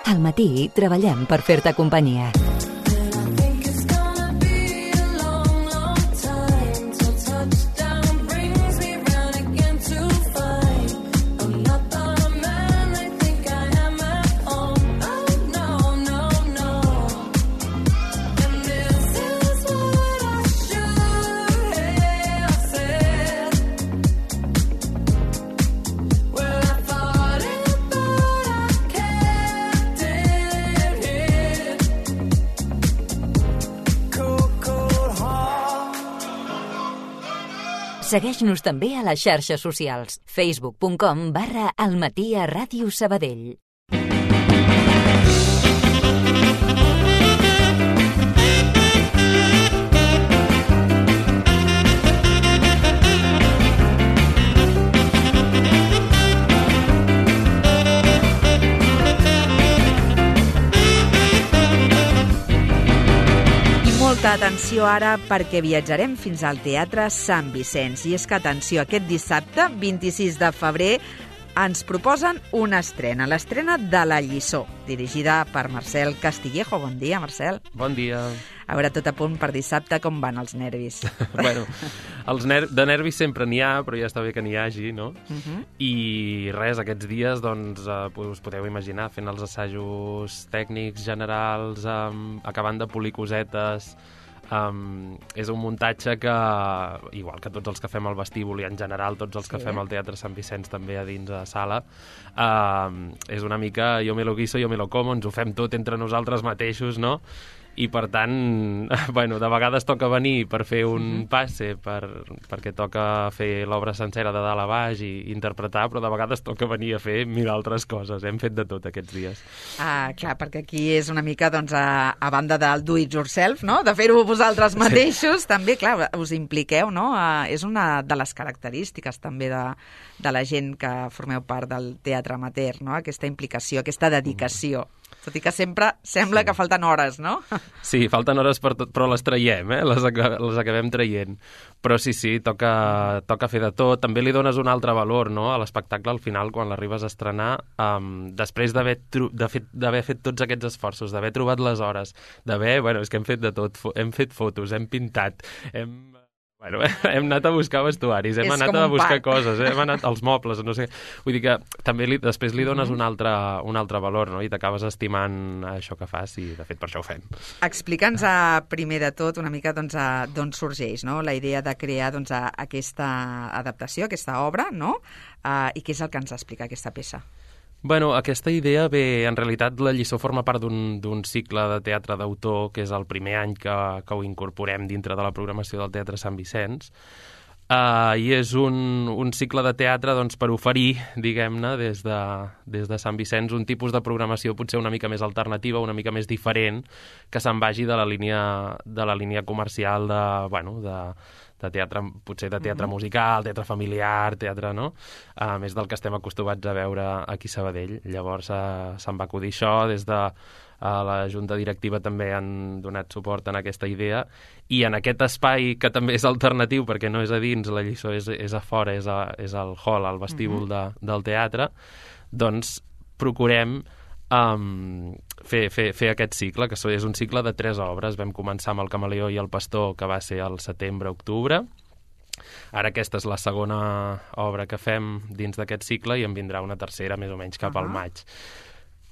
Al matí treballem per fer-te companyia. Segueix-nos també a les xarxes socials. facebook.com/almatí@Ràdio Sabadell. Molta atenció ara perquè viatjarem fins al Teatre Sant Vicenç. I és que, atenció, aquest dissabte, 26 de febrer, ens proposen una estrena, l'estrena de La Lliçó, dirigida per Marcel Castillejo. Bon dia, Marcel. Bon dia. A veure, tot a punt per dissabte, com van els nervis? Bueno, de nervis sempre n'hi ha, però ja està bé que n'hi hagi, no? I res, aquests dies, doncs, us podeu imaginar, fent els assajos tècnics generals, acabant de polir cosetes. És un muntatge que, igual que tots els que fem al vestíbul i en general tots els que fem al Teatre Sant Vicenç també a dins a sala, és una mica yo me lo guiso, yo me lo como, ens ho fem tot entre nosaltres mateixos, no? I, per tant, bueno, de vegades toca venir per fer un passe, perquè toca fer l'obra sencera de dalt a baix i interpretar, però de vegades toca venir a fer mil altres coses. Hem fet de tot aquests dies. Clar, perquè aquí és una mica, doncs, a banda del do it yourself, no?, de fer-ho vosaltres mateixos, també, clar, us impliqueu, no? És una de les característiques, també, de la gent que formeu part del teatre amateur, no?, aquesta implicació, aquesta dedicació. Tot i que sempre sembla que falten hores, no? Sí, falten hores per tot, però les traiem, les acabem traient. Però sí, toca fer de tot. També li dones un altre valor, no?, a l'espectacle al final, quan l'arribes a estrenar, després d'haver fet tots aquests esforços, d'haver trobat les hores, bueno, és que hem fet de tot, hem fet fotos, hem pintat, hem anat a buscar vestuaris, hem anat a buscar coses, hem anat als mobles, no sé. Vull dir que també després li dones un altre valor, no?, i t'acabes estimant això que fas i, de fet, per això ho fem. Explica'ns primer de tot una mica d'on sorgeix, no?, la idea de crear aquesta adaptació, aquesta obra, no?, i què és el que ens explica aquesta peça? Bueno, aquesta idea ve, en realitat, La Lliçó forma part d'un cicle de teatre d'autor, que és el primer any que ho incorporem dintre de la programació del Teatre Sant Vicenç, i és un cicle de teatre, doncs, per oferir, diguem-ne, des de Sant Vicenç, un tipus de programació potser una mica més alternativa, una mica més diferent, que se'n vagi de la línia comercial de teatre, potser de teatre musical, teatre familiar, teatre, no? Més del que estem acostumats a veure aquí a Sabadell. Llavors se'n va acudir això, des de la Junta Directiva també han donat suport en aquesta idea, i en aquest espai, que també és alternatiu, perquè no és a dins, La Lliçó és a fora, és al hall, al vestíbul del teatre, doncs procurem fer aquest cicle, que és un cicle de 3 obres. Vam començar amb El camaleó i el pastor, que va ser al setembre-octubre. Ara aquesta és la segona obra que fem dins d'aquest cicle i en vindrà una tercera més o menys cap al maig.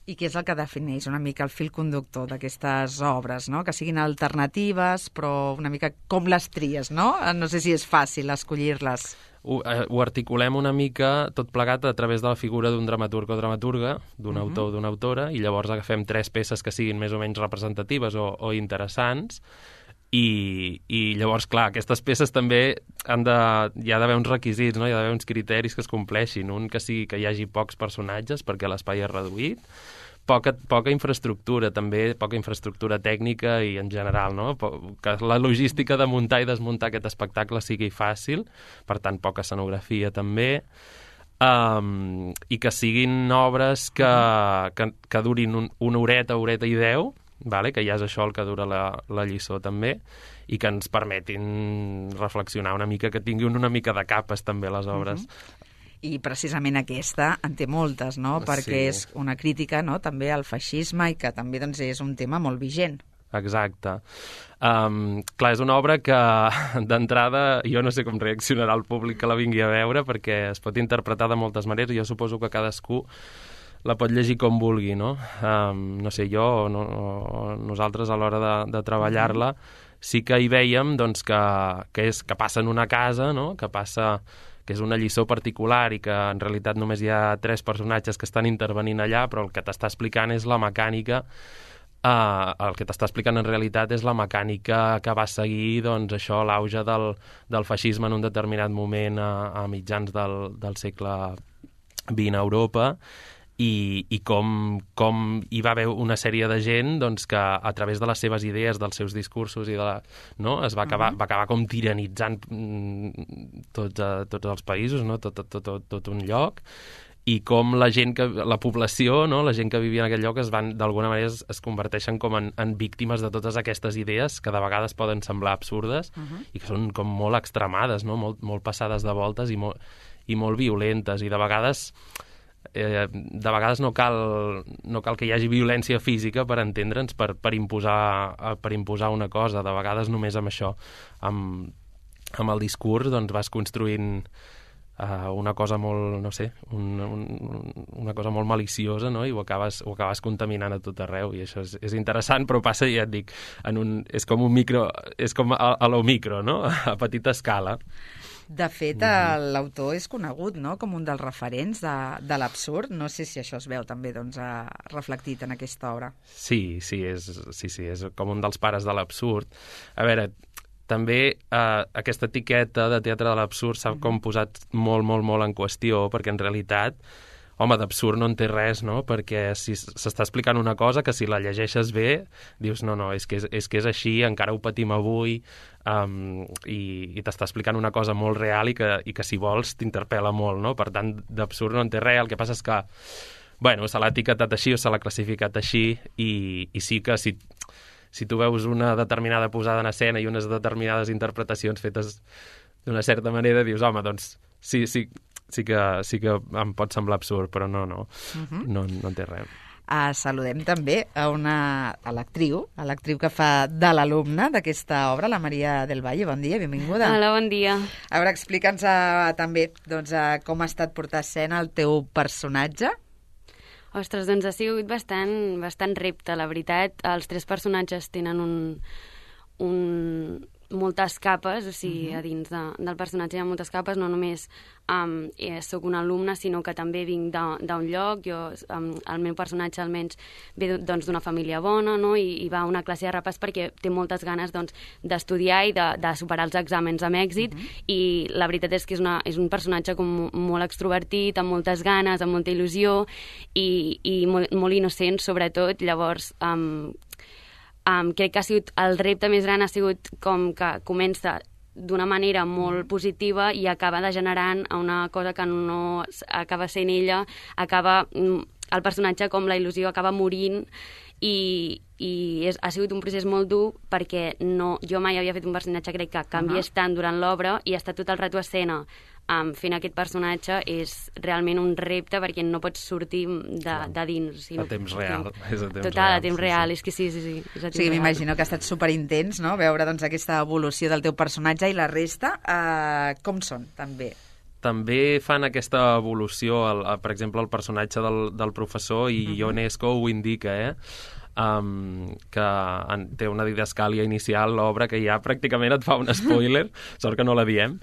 I què és el que defineix una mica el fil conductor d'aquestes obres, no?, que siguin alternatives, però una mica com les tries, no? No sé si és fàcil escollir-les. Ho articulem una mica tot plegat a través de la figura d'un dramaturg o dramaturga, d'un autor o d'una autora, i llavors agafem 3 peces que siguin més o menys representatives o interessants, i llavors, clar, aquestes peces també hi ha d'haver uns requisits, no? Hi ha d'haver uns criteris que es compleixin. Un, que hi hagi pocs personatges, perquè l'espai és reduït, poca infraestructura, també, poca infraestructura tècnica i en general, no? Que la logística de muntar i desmuntar aquest espectacle sigui fàcil, per tant, poca escenografia també, i que siguin obres que durin una horeta i 10, que ja és això el que dura la lliçó també, i que ens permetin reflexionar una mica, que tinguin una mica de capes també les obres. I precisament aquesta en té moltes, no? Perquè és una crítica, no?, també al feixisme i que també doncs, és un tema molt vigent. Exacte. Clar, és una obra que d'entrada jo no sé com reaccionarà el públic que la vingui a veure perquè es pot interpretar de moltes maneres i jo suposo que cadascú la pot llegir com vulgui, no? No sé, jo o nosaltres a l'hora de treballar-la sí que hi veiem doncs, que passa en una casa, no? Que és una lliçó particular i que en realitat només hi ha 3 personatges que estan intervenint allà, però el que t'està explicant és la mecànica. El que t'està explicant en realitat és la mecànica que va seguir doncs, això, l'auge del feixisme en un determinat moment a mitjans del segle XX a Europa i com hi va haver una sèrie de gent doncs, que a través de les seves idees, dels seus discursos es va acabar com tiranitzant tots els països, no? tot un lloc, i com la població, no? La gent que vivia en aquell lloc d'alguna manera es converteixen com en víctimes de totes aquestes idees que de vegades poden semblar absurdes i que són com molt extremades, no? Molt passades de voltes i molt violentes, i de vegades no cal que hi hagi violència física per entendre'ns, per imposar una cosa. De vegades només amb això, amb el discurs, doncs vas construint una cosa molt, no sé, una cosa molt maliciosa, no? I ho acabes contaminant a tot arreu, i això és interessant, però passa, ja et dic, és com un micro, és com a lo micro, no? A petita escala. De fet, l'autor és conegut, no?, com un dels referents de l'absurd. No sé si això es veu també doncs, reflectit en aquesta obra. Sí, és com un dels pares de l'absurd. A veure, també aquesta etiqueta de teatre de l'absurd s'ha com posat molt, molt, molt en qüestió, perquè en realitat, home, d'absurd no en té res, no? Perquè si s'està explicant una cosa que si la llegeixes bé, dius, no, és que és així, encara ho patim avui, i t'està explicant una cosa molt real i que si vols t'interpel·la molt, no? Per tant, d'absurd no en té res. El que passa és que, bueno, se l'ha etiquetat així o se l'ha classificat així, i sí que si tu veus una determinada posada en escena i unes determinades interpretacions fetes d'una certa manera, dius, home, doncs sí que em pot semblar absurd, però no en té res. Saludem també a l'actriu que fa de l'alumna d'aquesta obra, la Maria del Valle. Bon dia, benvinguda. Hola, bon dia. A veure, explica'ns també com ha estat portar a escena el teu personatge. Ostres, doncs ha sigut bastant repte, la veritat. Els 3 personatges tenen moltes capes, o sigui, a dins del personatge hi ha moltes capes, no només sóc una alumna, sinó que també vinc d'un lloc. El meu personatge almenys ve d'una família bona, no? I va a una classe de repàs perquè té moltes ganes d'estudiar i de superar els exàmens amb èxit, i la veritat és que és un personatge com molt extrovertit, amb moltes ganes, amb molta il·lusió i molt innocent, sobretot. Llavors, crec que el repte més gran ha sigut com que comença d'una manera molt positiva i acaba degenerant a una cosa que no acaba sent ella, el personatge, com la il·lusió, acaba morint, i ha sigut un procés molt dur perquè jo mai havia fet un personatge, crec, que canviés tant durant l'obra, i estar tot el rato a escena fent aquest personatge és realment un repte perquè no pots sortir de dins. A temps real. Total, a temps real. És que sí. Sí, m'imagino que ha estat superintens, no?, veure aquesta evolució del teu personatge. I la resta, com són, també? També fan aquesta evolució, per exemple, el personatge del professor, i Ionesco ho indica, que té una didascàlia inicial, l'obra, que ja pràcticament et fa un spoiler, sort que no la diem,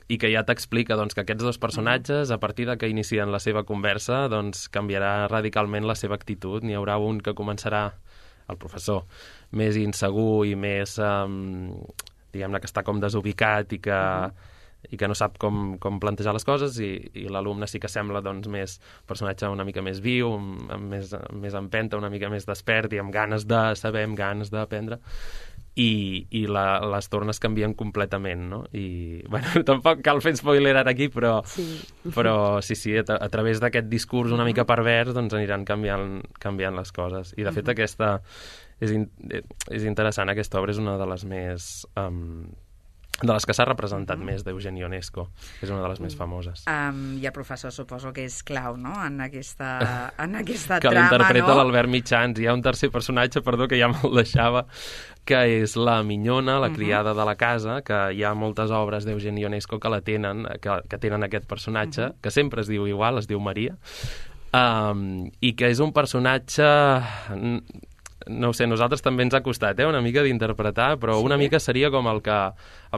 i que ja t'explica que aquests 2 personatges, a partir de que inicien la seva conversa, canviarà radicalment la seva actitud. N'hi haurà un que començarà, el professor, més insegur i més, diguem-ne, que està com desubicat i que no sap com plantejar les coses, i l'alumne sí que sembla més personatge una mica més viu, amb més empenta, una mica més despert i amb ganes de saber, amb ganes d'aprendre, i les tornes canvien completament, no? I, bueno, tampoc cal fer spoiler ara aquí, però sí, a través d'aquest discurs una mica pervers aniran canviant les coses. I de fet aquesta és interessant, aquesta obra és una de les més de les que s'ha representat més d'Eugeni Ionesco, que és una de les més famoses. I el professor suposo que és clau, no?, en aquesta trama, que l'interpreta l'Albert Mitjans. Hi ha un tercer personatge, perdó, que ja me'l deixava, que és la minyona, la criada de la casa, que hi ha moltes obres d'Eugeni Ionesco que la tenen, que tenen aquest personatge, que sempre es diu igual, es diu Maria, i que és un personatge... No ho sé, a nosaltres també ens ha costat una mica d'interpretar, però una mica seria com el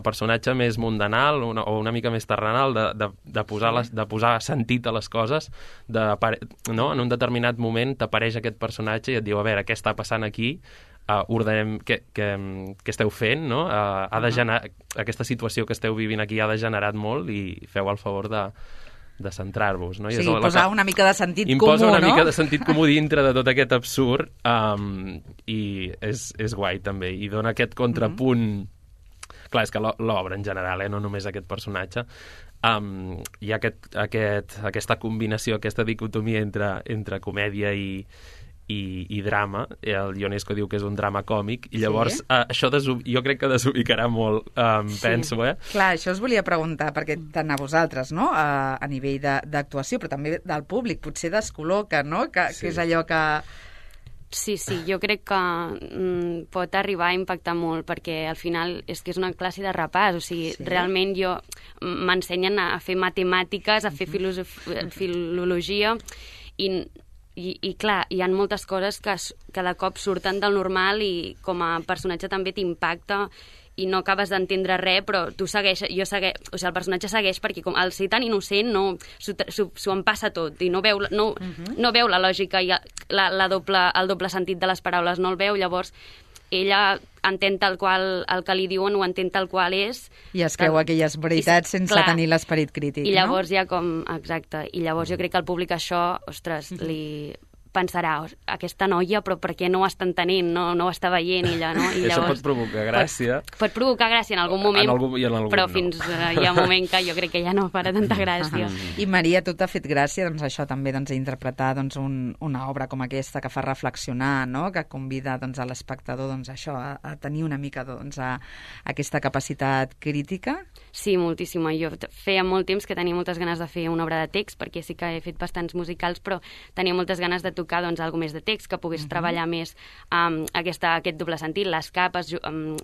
personatge més mundanal o una mica més terrenal de posar sentit a les coses, no? En un determinat moment t'apareix aquest personatge i et diu, a veure, què està passant aquí? Ordenem què esteu fent, no? Aquesta situació que esteu vivint aquí ha degenerat molt i feu el favor de centrar-vos, no? Sí, posar una mica de sentit comú, no? Imposa una mica de sentit comú dintre de tot aquest absurd, i és guai, també. I dona aquest contrapunt... Clar, és que l'obra en general, no només aquest personatge, hi ha aquesta combinació, aquesta dicotomia entre comèdia i drama. El Ionesco diu que és un drama còmic, i llavors això jo crec que desubicarà molt, penso, Clar, això us volia preguntar, perquè tant a vosaltres, no?, a nivell d'actuació, però també del públic, potser descol·loca, no?, que és allò que... Sí, jo crec que pot arribar a impactar molt, perquè al final és que és una classe de repàs, o sigui, realment m'ensenyen a fer matemàtiques, a fer filologia, i clar, hi ha moltes coses que de cop surten del normal i com a personatge també t'impacta i no acabes d'entendre res, però tu segueixes, o sigui, el personatge segueix perquè com al ser tan innocent s'ho en passa tot i no veu la lògica i el doble sentit de les paraules, no el veu, llavors ella entén tal qual el que li diuen, ho entén tal qual és. I es creu aquelles veritats sense tenir l'esperit crític, I llavors exacte, i llavors jo crec que el públic això, ostres, li pensarà, aquesta noia, però per què no ho està entenent, no ho està veient ella, no? I llavors, això pot provocar gràcia. Pot provocar gràcia en algun moment, però fins hi ha un moment que jo crec que ja no farà tanta gràcia. I Maria, tu t'ha fet gràcia, doncs això també, interpretar una obra com aquesta que fa reflexionar, no?, que convida a l'espectador això, a tenir una mica aquesta capacitat crítica? Sí, moltíssima. Jo feia molt temps que tenia moltes ganes de fer una obra de text, perquè sí que he fet bastants musicals, però tenia moltes ganes de tocar alguna més de text, que pogués treballar més aquest doble sentit, les capes,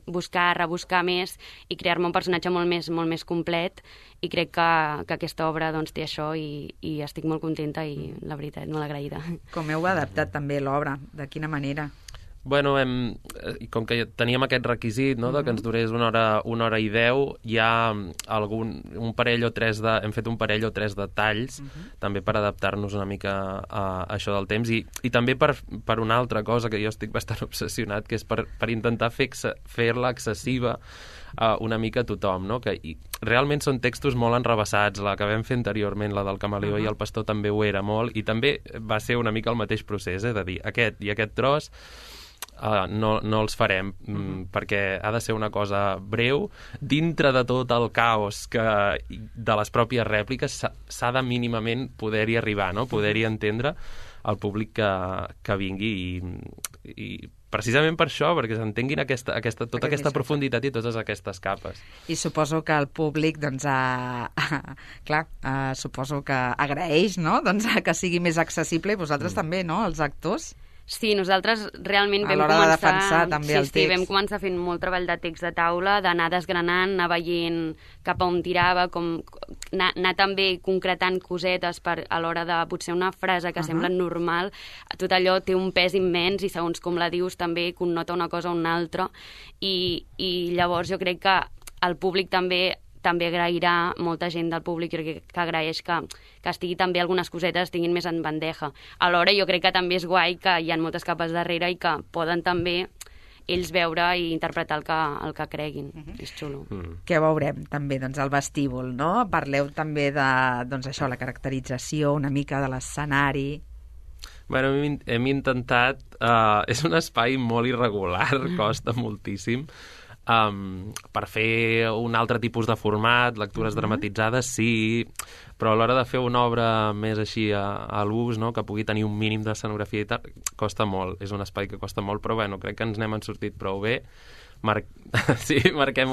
buscar, rebuscar més i crear-me un personatge molt més complet, i crec que aquesta obra té això i estic molt contenta i, la veritat, molt agraïda. Com heu adaptat també l'obra? De quina manera? Bueno, com que teníem aquest requisit, no?, de que ens durés una hora i 10, hi ha un parell o tres hem fet un parell o tres de talls, també per adaptar-nos una mica a això del temps, i també per una altra cosa que jo estic bastant obsessionat, que és per intentar fer-la accessiva una mica a tothom, no? Que realment són textos molt enrevessats. La que vam fer anteriorment, la del Camaleó i el Pastor, també ho era molt, i també va ser una mica el mateix procés, de dir, aquest i aquest tros no els farem, perquè ha de ser una cosa breu, dintre de tot el caos de les pròpies rèpliques s'ha de mínimament poder-hi arribar, no? Poder-hi entendre el públic que vingui, i precisament per això, perquè s'entenguin tota aquesta profunditat i totes aquestes capes. I suposo que el públic, suposo que agraeix, no?, que sigui més accessible, i vosaltres també, no?, els actors? Sí, nosaltres realment vam començar... A l'hora de defensar també el text. Sí, vam començar fent molt treball de text de taula, d'anar desgranant, anar veient cap a on tirava, anar també concretant cosetes a l'hora de potser una frase que sembla normal, tot allò té un pes immens i segons com la dius també connota una cosa o una altra, i llavors jo crec que el públic també agrairà, molta gent del públic que agraeix que estigui també algunes cosetes tinguin més en bandeja. Alhora jo crec que també és guai que hi ha moltes capes darrere i que poden també ells veure i interpretar el que creguin. És xulo. Què veurem també, el vestíbul, no? Parleu també de, això, la caracterització una mica de l'escenari. Bueno, hem intentat... és un espai molt irregular, costa moltíssim. Per fer un altre tipus de format, lectures dramatitzades, sí, però a l'hora de fer una obra més així a l'ús, no?, que pugui tenir un mínim d'escenografia i tal, costa molt. És un espai que costa molt, però bueno, crec que ens n'hem sortit prou bé, marquem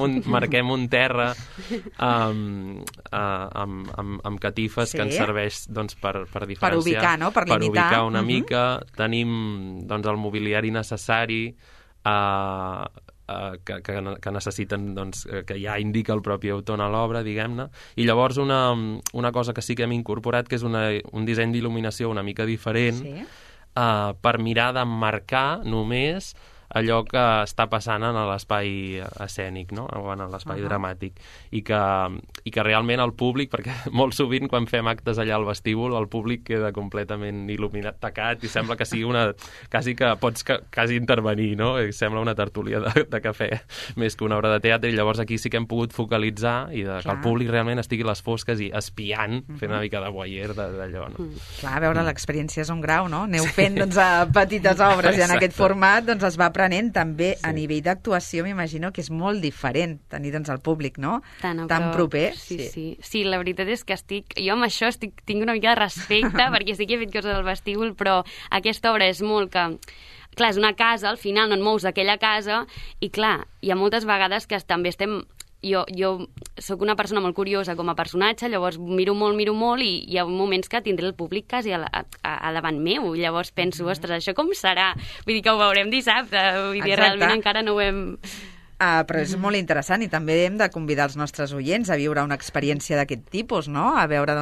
un terra amb catifes que ens serveix doncs, per diferenciar. Per ubicar, no? Per limitar. Per ubicar una mica. Tenim doncs, el mobiliari necessari que necessiten, doncs, que ja indica el propi autor a l'obra, diguem-ne. I llavors una cosa que sí que hem incorporat, que és un disseny d'il·luminació una mica diferent, per mirar d'emmarcar només allò que està passant en l'espai escènic, no? O en l'espai dramàtic. I que realment el públic, perquè molt sovint quan fem actes allà al vestíbul, el públic queda completament il·luminat, tacat, i sembla que sigui quasi que pots quasi intervenir, no? I sembla una tertúlia de cafè més que una obra de teatre, i llavors aquí sí que hem pogut focalitzar i que el públic realment estigui a les fosques i espiant, fent una mica de voyeur d'allò, no? Clar, a veure, l'experiència és un grau, no? Aneu fent petites obres i en aquest format es va aprenent també a nivell d'actuació. M'imagino que és molt diferent tenir el públic, no? Tan proper. Sí, la veritat és que jo amb això tinc una mica de respecte perquè sí que he fet coses del vestíbul, però aquesta obra és molt que... Clar, és una casa, al final no et mous d'aquella casa, i clar, hi ha moltes vegades que també estem... Jo sóc una persona molt curiosa com a personatge, llavors miro molt i hi ha moments que tindré el públic quasi a davant meu, llavors penso, ostres, això com serà? Vull dir que ho veurem dissabte, vull dir, realment encara no ho hem... Però és molt interessant, i també hem de convidar els nostres oients a viure una experiència d'aquest tipus, no? A veure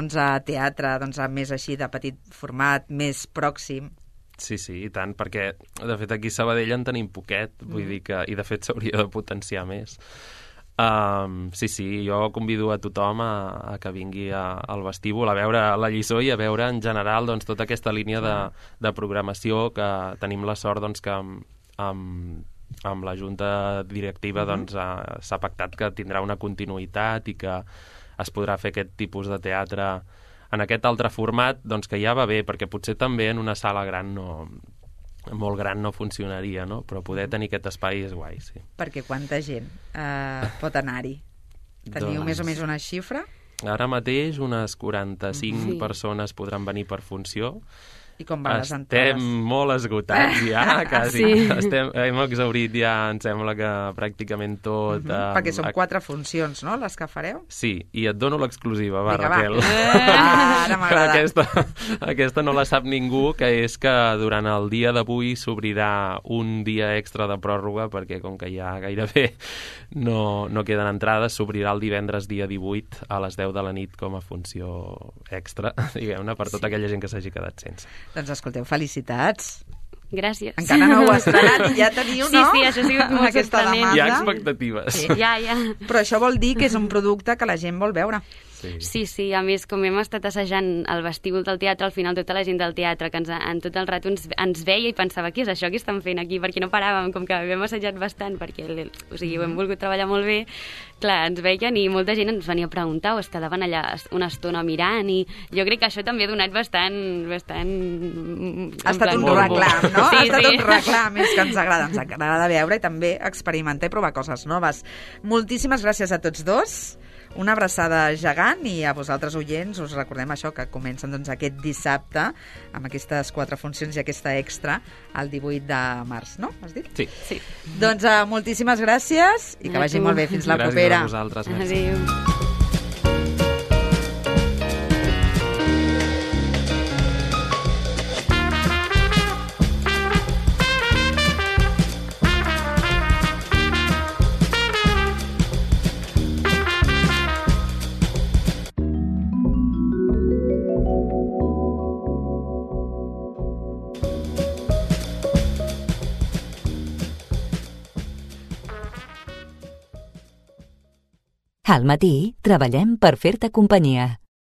teatre més així de petit format, més pròxim. Sí, i tant, perquè de fet aquí a Sabadell en tenim poquet, vull dir que, i de fet s'hauria de potenciar més. Jo convido a tothom a que vingui al vestíbul a veure la lliçó i a veure en general doncs, tota aquesta línia de programació que tenim la sort doncs, que amb la junta directiva doncs, s'ha pactat que tindrà una continuïtat i que es podrà fer aquest tipus de teatre en aquest altre format, doncs, que ja va bé, perquè potser també en una sala molt gran no funcionaria, no? Però poder tenir aquest espai és guai, sí. Perquè quanta gent pot anar-hi? Teniu més o més una xifra? Ara mateix unes 45 persones podran venir per funció. I com van les entrades? Estem molt esgotats ja, quasi. Hem exhaurit ja, em sembla que pràcticament tot. Perquè són 4 funcions, no?, les que fareu? Sí, i et dono l'exclusiva, Raquel. Ara m'agrada. Aquesta no la sap ningú, que és que durant el dia d'avui s'obrirà un dia extra de pròrroga, perquè com que ja gairebé no queden entrades, s'obrirà el divendres dia 18 a les 10 de la nit com a funció extra, diguem-ne, per tota aquella gent que s'hagi quedat sense. Doncs escolteu, felicitats. Gràcies. Encara no ho has estrenat i ja teniu, no? Sí, això ha sigut molt sorprenent. Hi ha expectatives. Ja. Però això vol dir que és un producte que la gent vol veure. Sí, a més, com hem estat assajant al vestíbul del teatre, al final tota la gent del teatre que en tot el rato ens veia i pensava, què és això que estan fent aquí? Perquè no paràvem, com que hem assajat bastant, perquè ho hem volgut treballar molt bé. Clar, ens veien i molta gent ens venia a preguntar o es quedaven allà una estona mirant, i jo crec que això també ha donat bastant... Ha estat un reclam, no? Ha estat un reclam, és que ens agrada veure i també experimentar i provar coses noves. Moltíssimes gràcies a tots dos. Una abraçada gegant, i a vosaltres, oients, us recordem això, que comencen aquest dissabte amb aquestes 4 funcions i aquesta extra el 18 de març, no? Has dit? Sí. Doncs moltíssimes gràcies i que vagi molt bé. Fins la propera. Gràcies a vosaltres. Merci. Adéu. Al matí treballem per fer-te companyia.